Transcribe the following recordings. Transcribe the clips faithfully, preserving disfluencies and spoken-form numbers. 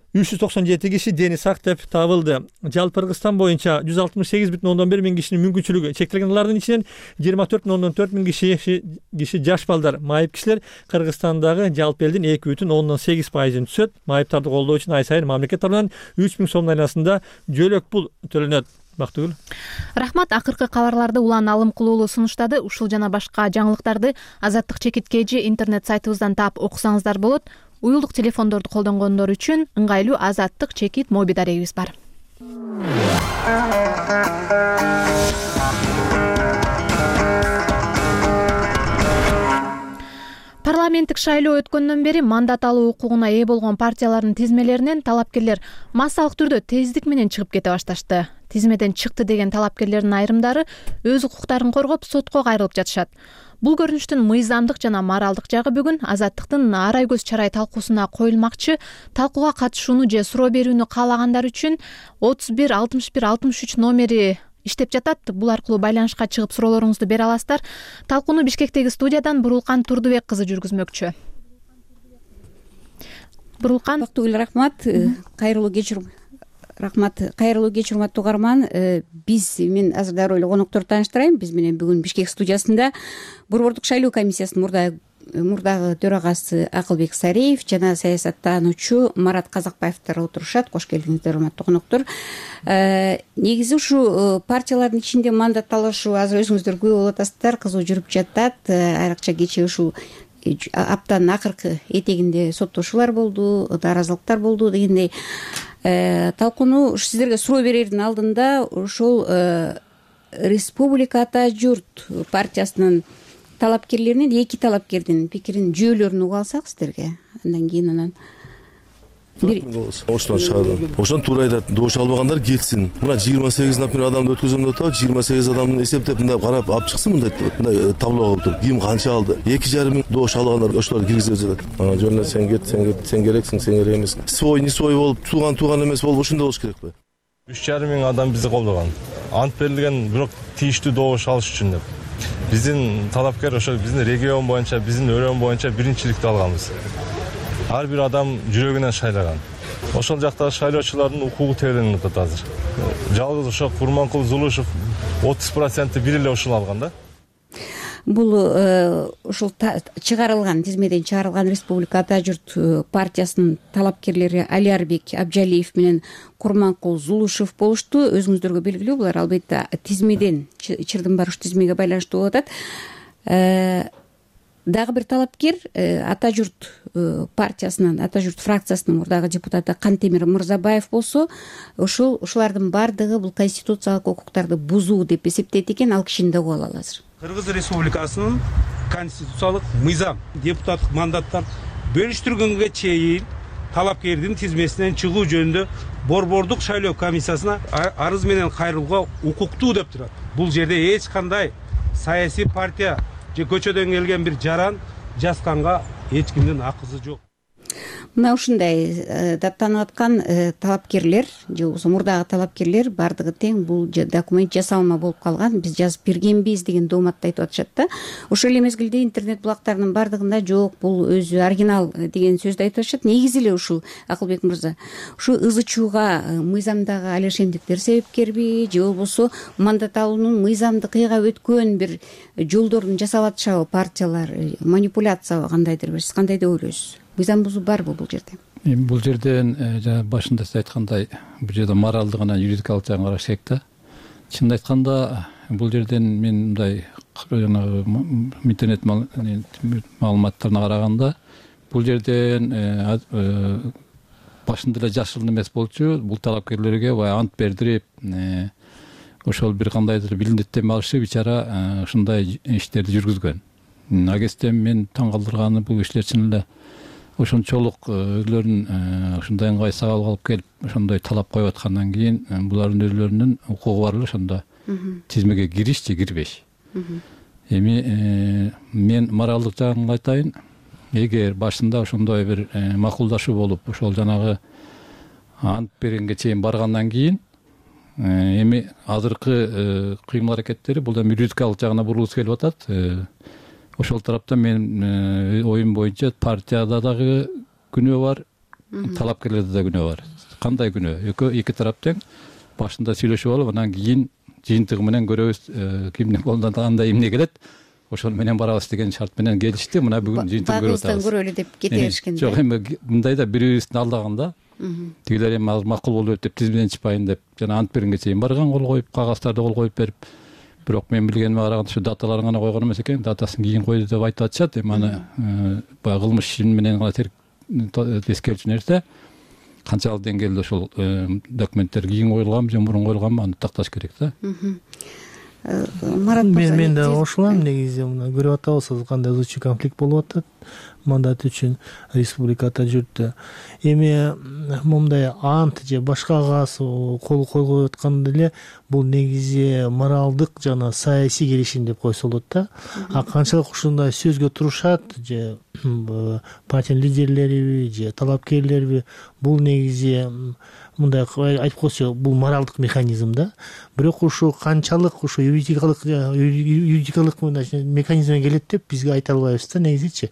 үч жүз токсон жети киши дени сак деп табылды. Жалпы Кыргызстан боюнча жүз алтымыш сегиз бүтүн ондон бир миң кишинин мүмкүнчүлүгү чектелген. Алардын ичинен жыйырма төрт бүтүн ондон төрт миң киши киши жаш балдар. Майып кишилер Кыргызстандагы жалпы элдин эки бүтүн ондон сегиз пайызын түзөт. Майыптарды колдоо үчүн ай сайын мамлекет тарабынан үч миң сомдун айланасында жөлөк пул төлөнөт. Бактыгүл. Рахмат. Акыркы кабарларды Улан Алым кылуулу сунуштады. Ушул жана башка жаңылыктарды Азаттык чекит kg интернет сайтыбыздан таап окусаңыздар болот. Уюлдук телефондорду колдонгондор үчүн ыңгайлуу Азаттык чекит моби дарегибиз бар. Парламенттик шайлоо өткөндөн бери мандат алуу укугуна ээ болгон партиялардын тизмелеринен талапкерлер массалык түрдө тездик менен чыгып кете башташты. Тизмеден чыкты деген талапкерлердин айрымдары өз укуктарын коргоп сотко кайрылып жатышат. Бул көрүнүштүн мыйзамдык жана моралдык жагы бүгүн Азаттыктын арай көз чарай талкуусуна коюлмакчы. Талкууга катышууну же суроо берүүнү каалагандар үчүн отуз бир алтымыш бир алтымыш үч номери иштеп жатат. Бул аркылуу байланышка чыгып суроолоруңузду бере аласыздар. Талкууну Бишкектеги студиядан Бурулкан Турдубек кызы жүргүзмөкчү. Бурулкан. Бактыгүл, рахмат. Кайрылуу кечир Рахмат. Кайрылуу кеч, урматтуу угарман. Биз мен азыр дароо эле конокторду тааныштырайын. Биз менен бүгүн Бишкек студиясында Борбордук шайлоо комиссиясынын мурдагы мурдагы төрагасы Акылбек Сареев жана саясаттануучу Марат Казакбаевдер отурушат. Кош келдиңиздер, урматтуу коноктору. Негизи ушу партиялардын ичинде мандат алышуу азыр өзүңүздөр күбө болуп атасыздар, кызуу жүрүп жатат. Айрыкча кечээ ушул аптанын акыркы этегинде соттошуулар болду, даразылыктар болду дегендей. Талкууну сиздерге суроо берердин алдында ошол Республика Ата журт партиясынын талапкерлеринен эки талапкердин пикирин жүйөлөрүн угуп алсак сиздерге, андан кийин анан Ошон чыгарды. Ошон туура айтат. Добуш албагандар кетсин. Мына жыйырма сегиз, например, адамды өткөзөм деп атат. жыйырма сегиз адамды эсептеп мындай карап алып чыксын, мындай мындай табло кылып туруп. Ким канча алды? эки жарым миң добуш алгандар ошолор киргизип жатат. Ана жөн эле сен кет, сен кет, сен керексиң, сен керек эмес. Свой, не свой болуп, тууган тууган эмес болуп ошондой болуш керекпи? үч жарым миң адам бизди колдогон. Ант берилген бирок тийиштүү добуш алыш үчүн деп. Биздин талапкер ошо биздин регион боюнча, биздин өрөөн боюнча биринчиликти алганбыз. Ар бир адам жүрөгүнөн шайлаган. Ошол жактагы шайлоочулардын укугу тереленип атат азыр. Жалгыз ошо Курманкул Зулушев отуз проценти бир эле ушуну алган да. Бул ушул чыгарылган тизмеден чыгарылган Республика Ата журт партиясынын талапкерлери Алиарбек Абжалиев менен Курманкул Зулушев болушту. Өзүңүздөргө белгилүү, булар албетте тизмеден чырдын барыш тизмеге байланыштуу болуп атат. Дагы бир талапкер Ата журт партиясынын, Ата журт фракциясынын мурдагы депутаты Кантемир Мырзабаев болсо, ошол ушулардын бардыгы бул конституциялык укуктарды бузуу деп эсептейт экен. Ал кишини да угуп алалы азыр. Кыргыз Республикасынын конституциялык мыйзам депутаттык мандаттар бөлүштүргөнгө чейин талапкердин тизмесинен чыгуу жөнүндө Борбордук шайлоо комиссиясына арыз менен кайрылууга укуктуу деп турат. Бул жерде эч кандай саясий партия же көчөдөн келген бир жаран жазганга эч кимдин акысы жок. Мына ушундай даттанып аткан талапкерлер же болбосо мурдагы талапкерлер бардыгы тең бул документ жасалма болуп калган, биз жазып бергенбиз деген дооматты айтып атышат да. Ошол эле мезгилде интернет булактарынын бардыгында жок, бул өзү оригинал деген сөздү айтып атышат. Негизи эле ушул Акылбек мырза, ушу ызы чууга мыйзамдагы алешемдиктер себепкерби же болбосо мандат алуунун мыйзамдык ыйга өткөн бир жолдорун жасап атышабы партиялар, манипуляциябы кандайдыр бир? Сиз кандай деп ойлойсуз? Мыйзам бузуу барбы бул жерде? Эми бул жерден жана башында сиз айткандай бул жерде моралдык жана юридикалык жагын караш керек да. Чынын айтканда бул жерден мен мындай жанагы интернет маалыматтарына караганда бул жерден башында эле жашыл эмес болчу. Бул талапкерлерге баягы ант бердирип, ошол бир кандайдыр билдеттеме алышып, ичара ушундай иштерди жүргүзгөн. Агестен мен таң калтырганы бул кишилер чын эле ошончолук өзлөрүн ушундай ыңгай сабак алып келип ошондой талап коюп аткандан кийин булардын өзлөрүнүн укугу бар эле ошондо тизмеге кириш же кирбеш. Эми мен моралдык жагын айтайын. Эгер башында ошондой бир макулдашуу болуп, ошол жанагы ант бергенге чейин баргандан кийин эми азыркы кыймыл аракеттери бул эми юридикалык жагына бурулгусу келип атат. Ошол тарапта мен оюм боюнча партияда дагы күнөө бар, талапкерлерде да күнөө бар. Кандай күнөө? Экөө эки тарап тең башында сүйлөшүп алып, анан кийин жыйынтыгы менен көрөбүз кимдин колунан кандай эмне келет, ошол менен барабыз деген шарт менен келишти. Мына бүгүн жыйынтыгын көрүп атабыз. Багыбыздан көрөлү деп кете беришкен. Жок, эми мындайда бири-бирибиздин алдаганда тигилер эми азыр макул болуп деп тизмеден чыкпайын деп жана ант бергенге чейин барган, кол коюп, кагазтарды кол коюп берип, бирок мен билгениме караганда ушу даталарын гана койгон эмес экен, датасын кийин койду деп айтып атышат. Эми аны баягы кылмыш ишин менен гана тескерүүчү нерсе. Канчалык деңгээлде ошол документтер кийин коюлганбы же мурун коюлганбы, аны такташ керек да. Марат мен мен да кошулам. Негизи мына көрүп атабыз, кандай узчу конфликт болуп атат мандат үчүн республикада жүрдү. Эми момундай ант же башка кагаз кол койгоп атканда эле бул негизи моралдык жана саясий келишим деп койсо болот да. А канчалык ушундай сөзгө турушат же партия лидерлериби же талапкерлерби, бул негизи мындай айтып койсо бул моралдык механизм да. Бирок ушу канчалык ушу юридикалык юридикалык механизмге келет деп бизге айта албайбыз да негизичи.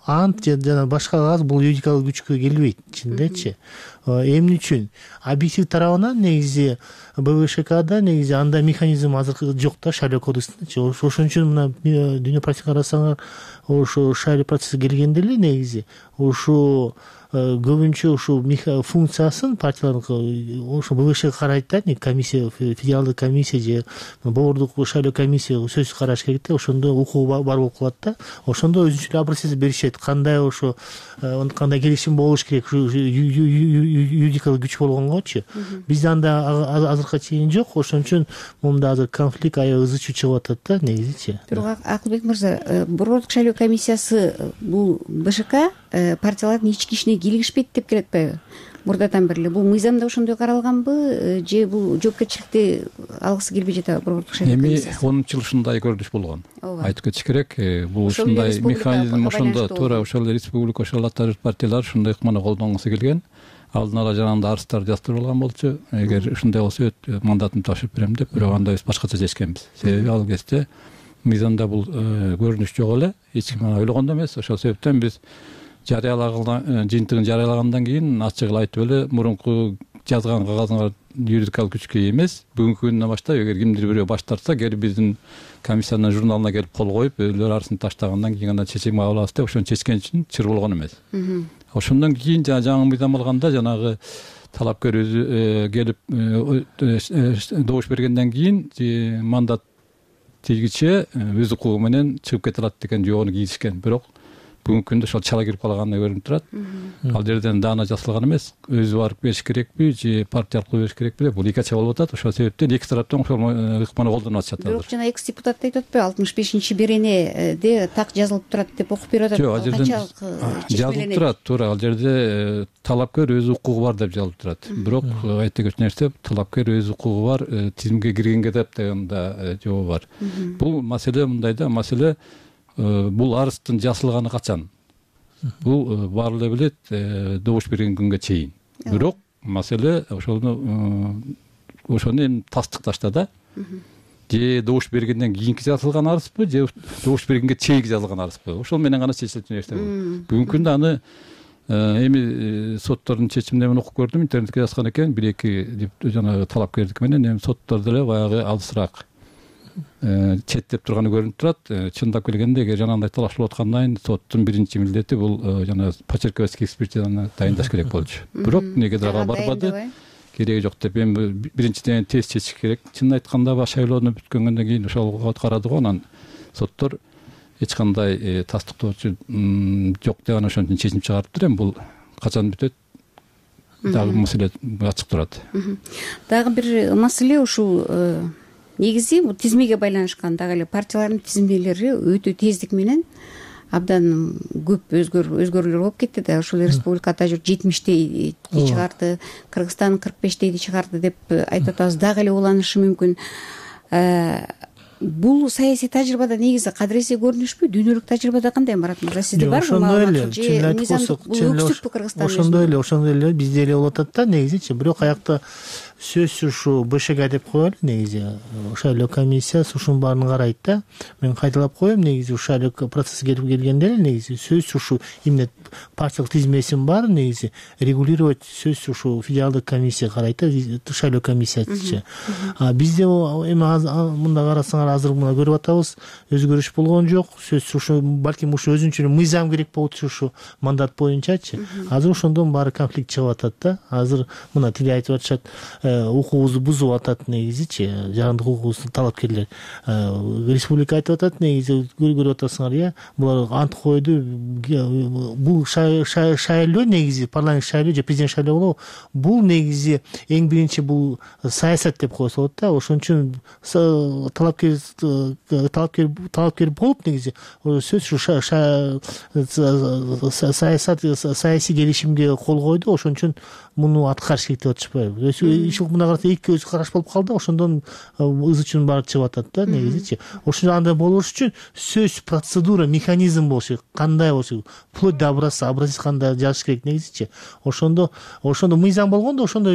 Ант жана башка кагаз бул юридикалык күчкө келбейт чындечи. Эмне үчүн? Объектив тарабынан негизи БВШКда негизи андай механизм азыр жок да, шайлоо кодексинде. Ошон үчүн мына дүйнө практика карасаңар, ошо шайлоо процесси келгенде эле негизи ушу көбүнчө ушул функциясын партиялардын ошо БВШ карайт да, комиссия, федералдык комиссия же бордук шайлоо комиссия сөзсүз караш керек да. Ошондо укугу бар болуп калат да. Ошондо өзүнчө эле образец беришет, кандай ошо кандай келишим болуш керек, юридикалык күч болгонгочу. Бизде анда азыркыга чейин жок. Ошон үчүн момунда азыр конфликт аябай ызычуу чыгып атат да негизичи. Бирок Акылбек мырза, борбордук шайлоо комиссиясы бул БШК партиялардын ички ишине кийлигишпейт деп келе атпайбы? Мурдадан бери эле бул мыйзамда ошондой каралганбы же бул жоопкерчиликти алгысы келбей жатабы борбордук шайлоо комиссиясы? Эми онунчу жыл ушундай көрүнүш болгон. Айтып кетиш керек, бул ушундай механизм ошондо туура ошол республика, ошол ата журт партиялар ушундай ыкманы колдонгусу келген. Алдын ала жанагындай арыздарды жаздырып алган болчу. Эгер ушундай болсо мандатымды тапшырып берем деп, бирок анда биз башкача чечкенбиз. Себеби ал кезде мыйзамда бул көрүнүш жок эле, эч ким ойлогондо эмес. Ошол себептен биз жарыялаган жыйынтыгын жарыялагандан кийин ачык эле айтып эле, мурунку жазган кагазыңар юридикалык күчкө ээ эмес. Бүгүнкү күндөн баштап эгер кимдир бирөө баш тартса, кел биздин комиссиянын журналына келип кол коюп, өзүлөр арызын таштагандан кийин гана чечим кабыл алабыз деп ошону чечкен үчүн чыр болгон эмес. Ошондон кийин жаңы мыйзам алганда жанагы талапкер өзү келип добуш бергенден кийин мандат тийгиче өз укугу менен чыгып кете алат деген жообуну кийишкен. Бирок бүгүнкү күндө ошол чала кирип калганы көрүнүп турат. Ал жерден даана жасалган эмес. Өзү барып бериш керекпи же партия аркылуу бериш керекпи? Бул эки ача болуп атат. Ошол себептен эки тараптан ошол ыкманы колдонуп атышат. Бирок жана экс депутат айтып атпайбы, алтымыш бешинчи беренеде так жазылып турат деп окуп берип атат. Жок, ал жерден жазылып турат, туура. Ал жерде талапкер өз укугу бар деп жазылып турат. Бирок айта кеткен нерсе, талапкер өз укугу бар, тизимге киргенге деп деген да жообу бар. Бул маселе мындай да, маселе бул арыздын жасалганы качан? Бул баары эле билет, добуш берген күнгө чейин. Бирок маселе ошону ошону эми тастыкташта да. Же добуш бергенден кийинки жазылган арызбы, же добуш бергенге чейинки жазылган арызбы? Ошол менен гана чечилет нерсе бул. Бүгүнкү күндө аны эми соттордун чечимине мен окуп көрдүм, интернетке жазган экен, бир эки жанагы талапкердики менен, эми соттор деле баягы алысыраак четтеп турганы көрүнүп турат. Чындап келгенде, эгер жанагындай талашылып аткандан кийин соттун биринчи милдети бул жана почерковский экспертизаны дайындаш керек болчу. Бирок негедир ага барбады, кереги жок деп. Эми биринчиден тез чечиш керек. Чынын айтканда шайлоону бүткөндөн кийин ошого карады го, анан соттор эч кандай тастыктоочу жок деп анан ошон үчүн чечим чыгарыптыр. Эми бул качан бүтөт? Дагы маселе ачык турат. Дагы бир маселе ушул негизи бул тизмеге байланышкан. Дагы эле партиялардын тизмелери өтө тездик менен абдан көп өзгөрүүлөр болуп кетти да. Ушул республика ата журт жетимиштейди чыгарды, Кыргызстан кырк бештейди чыгарды деп айтып атабыз. Дагы эле уланышы мүмкүн. бул саясий тажрыйбада негизи кадыресе көрүнүшпү? Дүйнөлүк тажрыйбада кандай, Марат мырза, сизде барбы? Ошондой эле, чынын айтып койсок, ошондой эле, ошондой эле бизде эле болуп атат да негизичи. Бирок аякта сөзсүз ушу БШК деп коелу негизи. Шайлоо комиссиясы ушунун баарын карайт да. Мен кайталап коем, негизи ушу шайлоо процесси келип келгенде эле негизи сөзсүз ушу именно партиялык тизмесин баарын негизи регулировать сөзсүз ушу федералдык комиссия карайт да, шайлоо комиссиясычы. А бизде эми мында карасаңар азыр мына көрүп атабыз, өзгөрүш болгон жок. Сөзсүз ушу балким ушу өзүнчө мыйзам керек болот ушу мандат боюнчачы. Азыр ошондон баары конфликт чыгып атат да. Азыр мына тиги айтып атышат, укугубузду бузуп атат негизичи, жарандык укугубузду талапкерлер. Республика айтып атат негизи, көрүп атасыңар, э, булар ант койду. Бул шайлоо негизи парламент шайлоо же президент шайлоо болобу? Бул негизи эң биринчи бул саясат деп койсо болот да. Ошон үчүн талапкер талапкер талапкер болуп негизи сөзсүз саясат саясий келишимге кол койду. Ошон үчүн муну аткарыш керек деп атышпайбы? Иш мына караса эки көз караш болуп калды. Ошондон ыз үчүн баары чыгып атат да негизичи. Ошо андай болуш үчүн сөз процедура, механизм болуш керек. Кандай болуш керек? Вплоть до образца, образец кандай жазыш керек негизичи. Ошондо ошондо мыйзам болгондо ошондо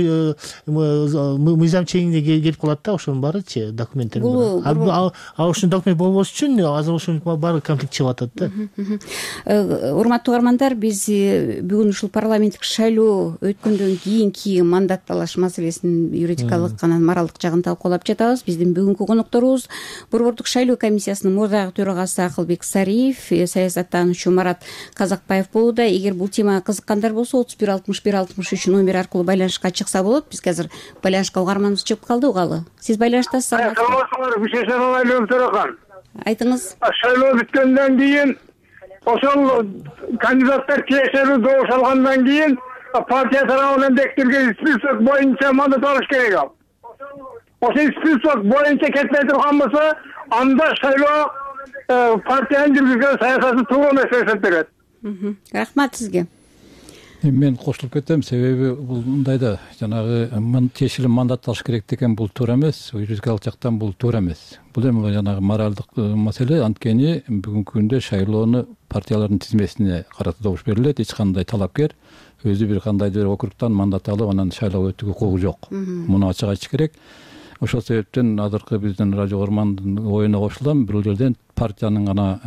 мыйзам чегинде келип калат да, ошонун баарычы документтер. А ошол документ болбош үчүн азыр ошонун баары конфликт чыгып атат да. Урматтуу угармандар, биз бүгүн ушул парламенттик шайлоо өткөндөн кийинки мандат талаш маселесинин юридикалык анан моралдык жагын талкуулап жатабыз. Биздин бүгүнкү конокторубуз Борбордук шайлоо комиссиясынын мурдагы төрагасы Акылбек Сариев, саясаттануучу Марат Казакбаев болууда. Эгер бул темага кызыккандар болсо, отуз бир алтымыш бир алтымыш үч номер аркылуу байланышка чыкса болот. Бизге азыр байланышка угарманыбыз чыгып калды, угалы. Сиз байланыштасыз. Саламатсыздар, Бишешен Алайлуу Төрахан. Айтыңыз. Шайлоо бүткөндөн кийин, ошол кандидаттар тиешелүү добуш алгандан кийин партия тарабынан бекитилген список боюнча мандат алыш керек ал. Ошол список боюнча кетпей турган болсо, анда шайлоо партиянын жүргүзгөн саясаты туура эмес деп эсептелет. Рахмат сизге. Мен кошулуп кетем, себеби бул мындай да, жанагы тиешелүү мандат алыш керек деген бул туура эмес, юридикалык жактан бул туура эмес. Бул эми жанагы моралдык маселе. Анткени бүгүнкү күндө шайлоону партиялардын тизмесине карата добуш берилет. Эч кандай талапкер өзү бир кандайдыр округтан мандат алып, анан шайлоого өтүүгө укугу жок. Муну ачык айтыш керек. Ошол себептен азыркы биздин радио угармандын оюна кошулам. Бир жерден партиянын гана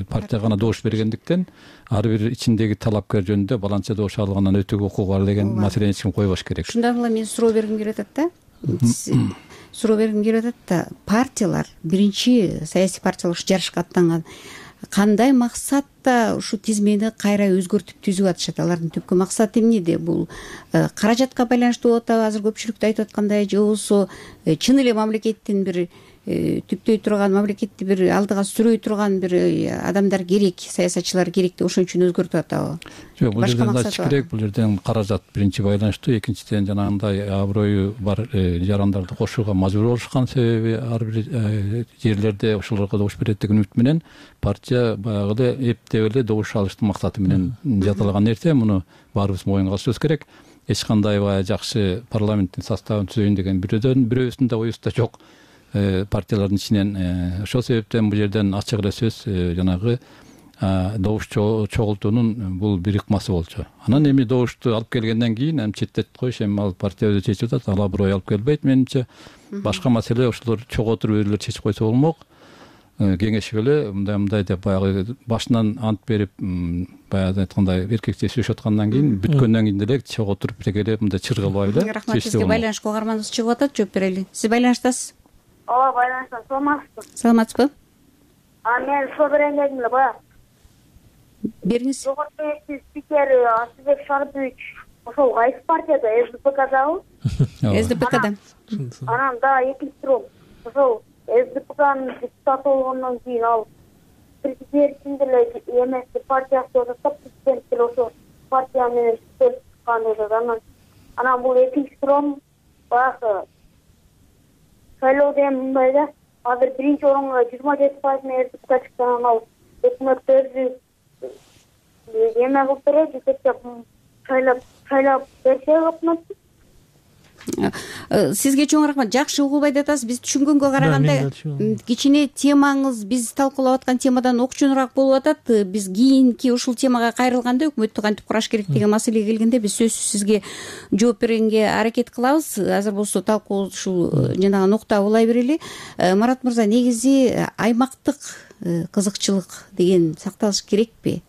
партияга гана добуш бергендиктен ар бир ичиндеги талапкер жөнүндө баланча добуш алгандан өтүүгө укугу бар деген маселени эч ким койбош керек. Ушундан улам мен суроо бергим келип атат да. Суроо бергим келип атат да. Партиялар, биринчи саясий партиялар ушу жарышка аттанган, кандай максатта ушу тизмени кайра өзгөртүп түзүп атышат? Алардын түпкү максаты эмнеде? Бул каражатка байланыштуу болуп атабы, азыр көпчүлүктө айтып аткандай, же болбосо чын эле мамлекеттин бир түптөй турган, мамлекетти бир алдыга сүрөй турган бир адамдар керек, саясатчылар керек деп ошон үчүн өзгөртүп атабы? Жок, бул жерден ачыш керек. Бул жерден каражат биринчи байланыштуу, экинчиден жанагындай аброю бар жарандарды кошууга мажбур болушкан, себеби ар бир жерлерде ошолорго добуш берет деген үмүт менен партия баягыда эптеп эле добуш алыштын максаты менен жасалган нерсе. Муну баарыбыз моюнга алышыбыз керек. Эч кандай баягы жакшы парламенттин составын түзөйүн деген бирөөдөн бирөөбүздүн да оюбузда жок. Партиялардын ичинен ошол себептен бул жерден ачык эле сөз жанагы добуш чогултуунун бул бир ыкмасы болчу. Анан эми добушту алып келгенден кийин эми четтетип коюш, эми ал партия өзү чечип атат, ал аброй алып келбейт менимче. Башка маселе ошолор чогултуруп өзүлөр чечип койсо болмок. Кеңешип эле мындай мындай деп баягы башынан ант берип, баягы айткандай эркекче сүйлөшүп аткандан кийин бүткөндөн кийин деле чогултуруп бирге мындай чыргылбай эле. Рахмат сизге. Байланышка угарманыбыз чыгып атат, жооп берели. Сиз байланыштасыз? Ооба, байланыштасыз. Саламатсызбы? Саламатсызбы? А мен суроо берейин дедим эле, баягы. Бериңиз. Жогорку кеңештин спикери Асылбек Шарбиевич ошол кайсы партияда? СДПКдабы? СДПКда. Анан да экинчи суроо. Ошол СДПКнын депутаты болгондон кийин ал президенттин деле эмес партиясы деп атат, президент деле ошол партия менен чыккан деп атат. Анан анан бул экинчи суроом баягы шайлоо деген мындай да, азыр биринчи орунга жыйырма жети пайыз менен СДПК чыкты, анан ал өкмөттү өзү эме кылып берет, жетектеп шайлап шайлап берсе өкмөттү. Сизге чоң рахмат. Жакшы угулбай деп атасыз. Биз түшүнгөнгө караганда кичине темаңыз биз талкуулап аткан темадан окчонураак болуп атат. Биз кийинки ушул темага кайрылганда, өкмөттү кантип кураш керек деген маселеге келгенде биз сөзсүз сизге жооп бергенге аракет кылабыз. Азыр болсо талкуу ушул жанагы нукта улай берели. Марат мырза, негизи аймактык кызыкчылык деген сакталыш керекпи?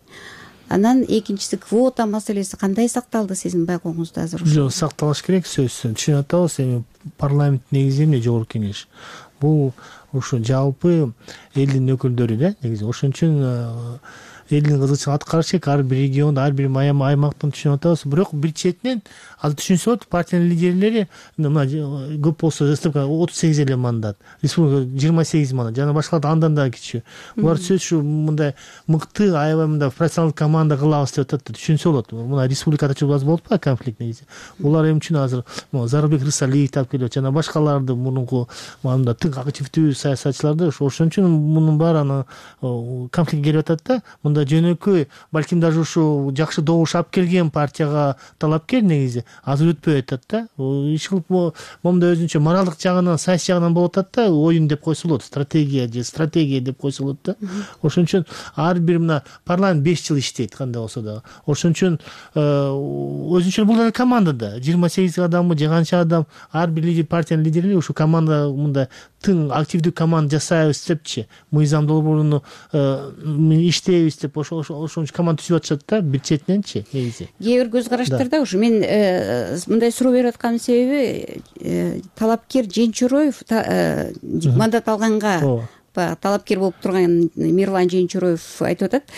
Анан экинчиси квота маселеси кандай сакталды сиздин байкооңузда азыр? Жок, сакталыш керек сөзсүз. Түшүнүп атабыз, эми парламент негизи эмне жогорку кеңеш. Бул ушу жалпы элдин өкүлдөрү да, негизи. Ошон үчүн элдин кызыкчылыгын аткарыш керек. Ар бир региондо, ар бир аймактын түшүнүп атабыз. Бирок бир четинен азыр түшүнсө болот, партиянын лидерлери мына көп болсо СТП отуз сегиз эле мандат, республика жыйырма сегиз мандат, жана башкалар андан да кичүү. Булар сөз ушу мындай мыкты, аябай мындай профессионалдык команда кылабыз деп атат. Түшүнсө болот. Мына республикада чыгып болуп атпайбы конфликт негизи. Булар эми үчүн азыр Зарылбек Рысалиев таап келип жана башкаларды мурунку мында тың активдүү саясатчыларды ошон үчүн мунун баары конфликт келип атат да. Мында жөнөкөй балким даже ушу жакшы добуш алып келген партияга талапкер негизи азыр өтпөй атат да. Иш кылып момда өзүнчө моралдык жагынан, саясий жагынан болуп атат да. Оюн деп койсо болот, стратегия же стратегия деп койсо болот да. Ошон үчүн ар бир мына парламент беш жыл иштейт кандай болсо да. Ошон үчүн өзүнчө бул да командада жыйырма сегиз адамы же канча адам, ар бир лидер, партиянын лидерлери ушу команда мында тың активдүү команда жасайбыз депчи, мыйзам долбооруну иштейбиз деп ошол ошон команда түзүп атышат да, бир четиненчи негизи. Кээ бир көз караштарда ушу мен мындай суроо берип атканын себеби талапкер Женчуроев мандат алганга талапкер болуп турган Мирлан Женчуроев айтып атат.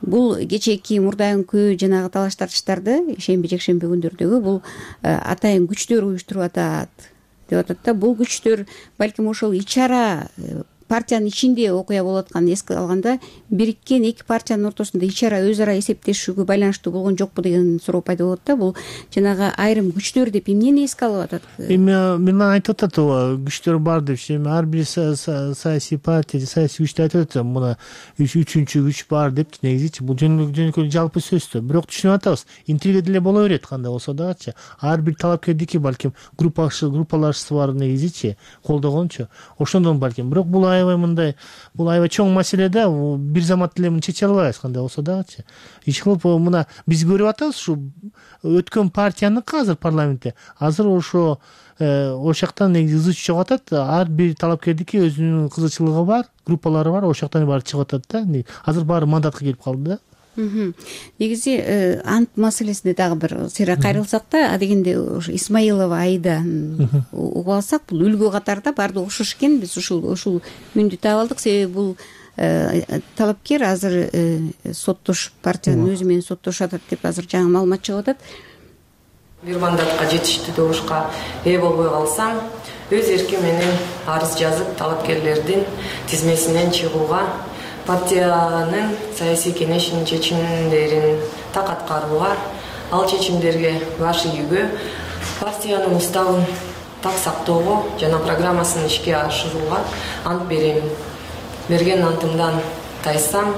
Бул кечээки мурдайынкы жанагы талаш тартыштарды шемби жекшемби күндөрдөгү бул атайын күчтөр уюштуруп атат деп атат да. Бул күчтөр балким ошол ичара партиянын ичинде окуя болуп атканын эске алганда бириккен эки партиянын ортосунда ичара өз ара эсептешүүгө байланыштуу болгон жокпу деген суроо пайда болот да. Бул жанагы айрым күчтөр деп эмнени эске алып атат? Эми Мирлан айтып атат, ооба, күчтөр бар депчи. Эми ар бир саясий партия, саясий күчтү айтып атат, мына үчүнчү күч бар депчи. Негизичи бул жөнөкөй жалпы сөздө. Бирок түшүнүп атабыз, интрига деле боло берет кандай болсо дагычы. Ар бир талапкердики балким группалашысы бар негизичи, колдогончу. Ошондон балким. Бирок бул аябай мындай, бул аябай чоң маселе да, бир замат эле муну чече албайбыз кандай болсо дагычы. Иш кылып мына биз көрүп атабыз ушу өткөн партияныкы азыр парламентте. Азыр ошо ошол жактан негизи ызы чыгып атат. Ар бир талапкердики өзүнүн кызыкчылыгы бар, группалары бар, ошол жактан баары чыгып атат да. Азыр баары мандатка келип калды да. Негизи ант маселесине дагы бир сыйра кайрылсак да, адегенде ушу Исмаилова Аида угуп алсак, бул үлгү катарда баардыгы окшош экен. Биз ушул ушул үндү таап алдык, себеби бул талапкер азыр соттош партиянын өзү менен соттошуп атат деп азыр жаңы маалымат чыгып атат. Бир мандатка жетиштүү добушка ээ болбой калсам, өз эрким менен арыз жазып талапкерлердин тизмесинен чыгууга, партиянын саясий кеңешинин чечимдерин так аткарууга, ал чечимдерге баш ийүүгө, партиянын уставын так сактоого жана программасын ишке ашырууга ант берем. Берген антымдан тайсам,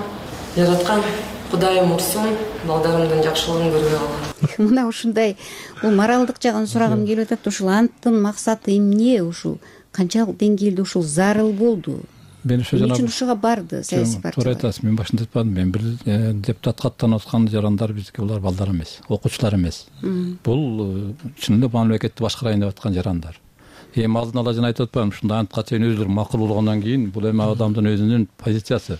жараткан Кудайым урсун, балдарымдын жакшылыгын көрбөй калган. Мына ушундай бул моралдык жагын сурагым келип атат. Ушул анттын максаты эмне? Ушул канчалык деңгээлде ушул зарыл болду? Мен ошо жана ушуга барды саясий партия. Туура айтасыз. Мен башында айтпадым. Мен бир депутатка аттанып аткан жарандар бизге булар балдар эмес, окуучулар эмес. Бул чын эле мамлекетти башкарайын деп аткан жарандар. Эми алдын ала жана айтып атпаймынбы, ушундай антка чейин өзүлөрү макул болгондон кийин бул эми адамдын өзүнүн позициясы.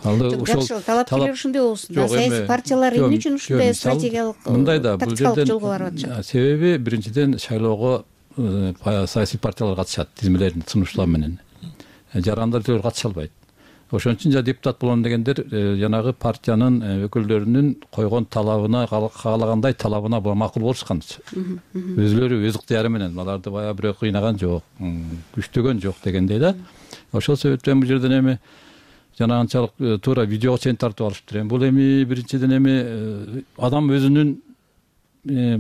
Алды ушул талапкерлер ушундай болсун да, саясий партиялар эмне үчүн ушундай стратегиялык мындай да, бул жерден жолго барып атышат? Себеби биринчиден шайлоого саясий партиялар катышат тизмелерин сунуштоо менен. Жарандар түгөл катыша албайт. Ошон үчүн жа депутат болом дегендер жанагы партиянын өкүлдөрүнүн койгон талабына, каалагандай талабына макул болушкан. Өзүлөрү өз ыктыяры менен аларды баягы бирөө кыйнаган жок, күчтөгөн жок дегендей да. Ошол себептен бул жерден эми жана анчалык туура видеого чейин тартып алышыптыр. Бул эми биринчиден эми адам өзүнүн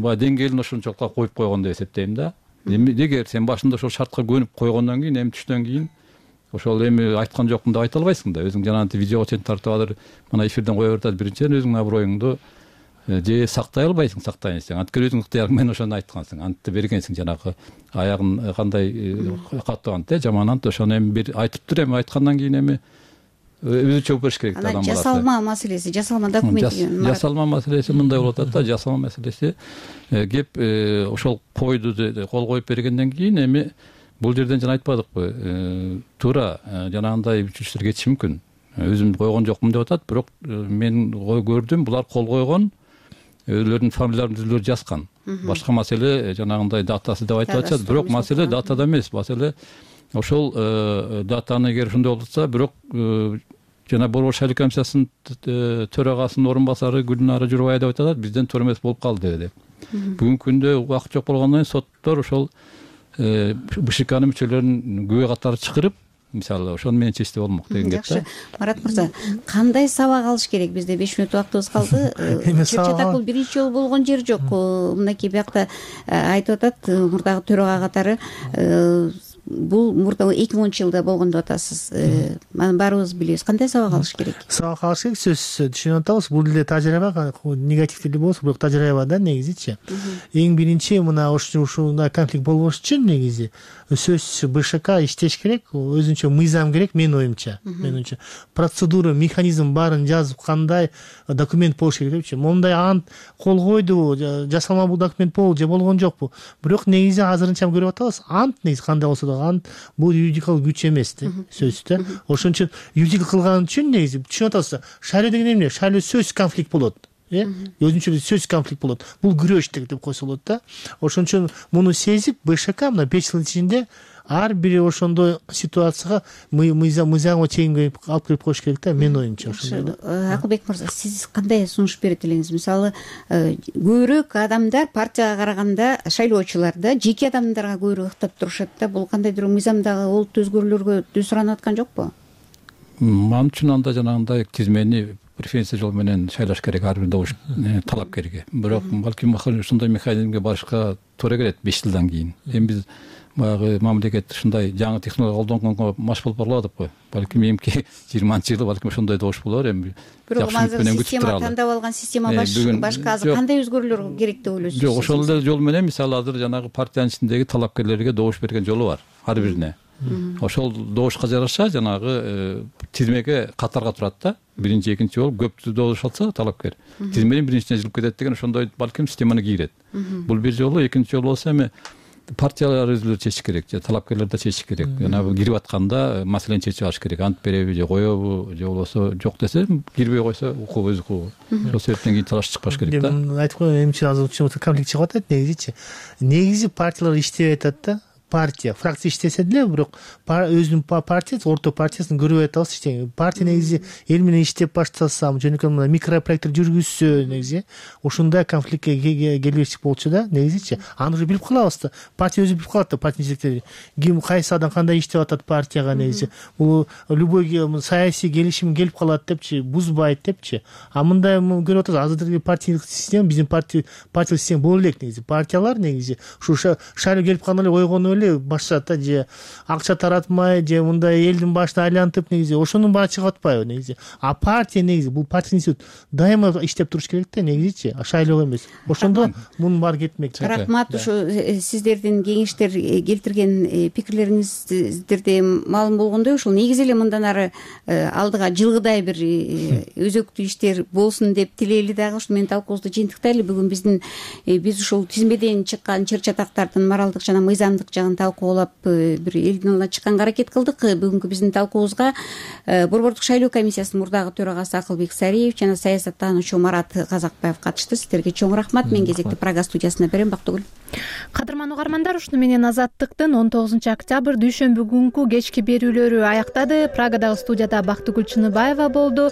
баягы деңгээлин ошончолукка коюп койгон деп эсептейм да. Эгер сен башында ошол шартка көнүп койгондон кийин, эми түштөн кийин ошол эми айткан жокмун деп айта албайсың да. Өзүң жанагы видеого чейин тартып алыр, мына эфирден кое берип атат. Биринчиден өзүңдүн аброюңду же сактай албайсың, сактайын десең анткени өзүң ыктыярың менен ошону айткансың, антты бергенсиң, жанагы аягын кандай катуу ант э жаман ант, ошону эми бир айтыптыр, эми айткандан кийин эми өзү жооп бериш керек да. Анан жасалма маселеси, жасалма документ деген. Жасалма маселеси мындай болуп атат да, жасалма маселеси кеп ошол койду кол коюп бергенден кийин эми бул жерден жана айтпадыкпы, туура жанагындай үчүнчүлөр кетиши мүмкүн. Өзүм койгон жокмун деп атат, бирок мен көрдүм, булар кол койгон, өзүлөрүнүн фамилияларын өзүлөрү жазган. Башка маселе жанагындай датасы деп айтып атышат, бирок маселе датада эмес, маселе ошол датаны эгер ошондой болуп атса, бирок жана Борбор шайлоо комиссиясынын төрагасынын орун басары Гүлнара Журбаева деп атат, бизден туура эмес болуп калды деп. Бүгүнкү күндө убакыт жок болгондон кийин соттор ошол БШКнын мүчөлөрүн күбө катары чакырып, мисалы ошону менен чечсе болмок деген геп да. Жакшы, Марат мырза, кандай сабак алыш керек? Бизде беш мүнөт убактыбыз калды. Чыр чатак бул биринчи жолу болгон жер жок. Мынакей биякта айтып атат, мурдагы төрага катары бул мурда эки миңинчи жылда болгон деп атасыз. Анан баарыбыз билебиз. Кандай сабак алыш керек? Сабак алыш керек, сөзсүз түшүнүп атабыз. Бул эле тажрыйба, негатив деле болсо, бирок тажрыйба да негизичи. Эң биринчи мына ушундай конфликт болбош үчүн негизи сөзсүз БШК иштеш керек, өзүнчө мыйзам керек менин оюмча. Менимче процедура, механизм баарын жазып, кандай документ болуш керек депчи. Мондай ант кол койду, жасалма бул документ болду же болгон жокпу. Бирок негизи азырынча көрүп атабыз, ант негизи кандай болсо да ант бул юридикалык күч эмес да, сөзсүз да. Ошон үчүн юридик кылган үчүн негизи түшүнүп атасыз, шайлоо деген эмне? Шайлоо сөзсүз конфликт болот. Э, өзүнчө сөзсүз конфликт болот. Бул күрөш деп койсо болот да. Ошон үчүн муну сезип БШК мына беш жылдын ичинде ар бир ошондой ситуацияга мыйзамга чейинге алып кирип коюш керек да, менин оюмча ошондой да. Акылбек мырза, сиз кандай сунуш берет элеңиз? Мисалы, көбүрөөк адамдар партияга караганда шайлоочуларда жеке адамдарга көбүрөөк ыктап турушат да. Бул кандайдыр мыйзамдагы олуттуу өзгөрүүлөргө түү суранып аткан жокпу? Ман үчүн анда жанагындай тизмени преференция жол менен шайлаш керек ар бир добуш талапкерге. Бирок балким ушундай механизмге барышка туура келет беш жылдан кийин. Эми биз баягы мамлекет ушундай жаңы технология колдонгонго маш болуп барбадыкпы? Балким эмки жыйырманчы жылы балким ошондой добуш болор. Эми бирок азыр система тандап алган система башка азыр кандай өзгөрүүлөр керек деп ойлойсуз? Жок, ошол эле жол менен мисалы азыр жанагы партиянын ичиндеги талапкерлерге добуш берген жолу бар ар бирине. Ошол добушка жараша жанагы тизмеге катарга турат да. Биринчи, экинчи болуп көптү добуш алса талапкер тизменин биринчисине жылып кетет деген ошондой балким системаны кийрет. Бул бир жолу, экинчи жолу болсо эми партиялар өзүлөрү чечиш керек, же талапкерлер да чечиш керек. Жана кирип атканда маселени чечип алыш керек. Ант береби же коебу, же болбосо жок десе кирбей койсо укугу өз укугу. Ошол себептен кийин талаш чыкпаш керек да. Айтып коеюн, эмчи азыр конфликт чыгып атат негизичи. Негизи партиялар иштеп атат да. Партия, фракция иштесе деле, бирок өзүнүн партиясы, орто партиясын көрүп атабыз иштеген. Партия негизи эл менен иштеп баштасам, жөнөкөй мына микропроекттер жүргүзсө негизи ошондой конфликтке келбешик болчу да, негизичи. Аны уже билип калабыз да. Партия өзү билип калат да, партиянын жетекчилери. Ким кайсы адам кандай иштеп атат партияга негизи. Бул любой саясий келишим келип калат депчи, бузбайт депчи. А мындай көрүп атабыз, азыркы партиялык система, биздин партия партиялык система боло элек негизи. Партиялар негизи ушу шайлоо келип калганда эле ойгону башчата же акча таратмай же мындай элдин башына айлантып негизи ошонун баары чыгып атпайбы негизи. А партия негизи бул партия институт дайыма иштеп туруш керек да негизичи, шайлоо эмес. Ошондо мунун баары кетмек. Рахмат, ушу сиздердин кеңештер келтирген пикирлериңиздерде маалым болгондой, ушул негизи эле мындан ары алдыга жылгыдай бир өзөктүү иштер болсун деп тилейли дагы. Ушу менен талкуубузду жыйынтыктайлы. Бүгүн биздин биз ушул тизмеден чыккан чыр чатактардын моралдык жана мыйзамдык жагын талкуулап бир элдин алдына чыкканга аракет кылдык. Бүгүнкү биздин талкуубузга Борбордук шайлоо комиссиясынын мурдагы төрагасы Акылбек Сариев жана саясаттануучу Марат Казакбаев катышты. Сиздерге чоң рахмат. Мен кезекти Прага студиясына берем. Бактыгүл. Кадырман угармандар, ушуну менен Азаттыктын он тогузунчу октябрь дүйшөмбү күнкү кечки берүүлөрү аяктады. Прагадагы студияда Бактыгүл Чыныбаева болду.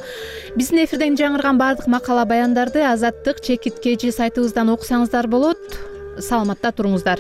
Биздин эфирден жаңырган баардык макала баяндарды Азаттык чекиткечи сайтыбыздан окусаңыздар болот. Саламатта туруңуздар.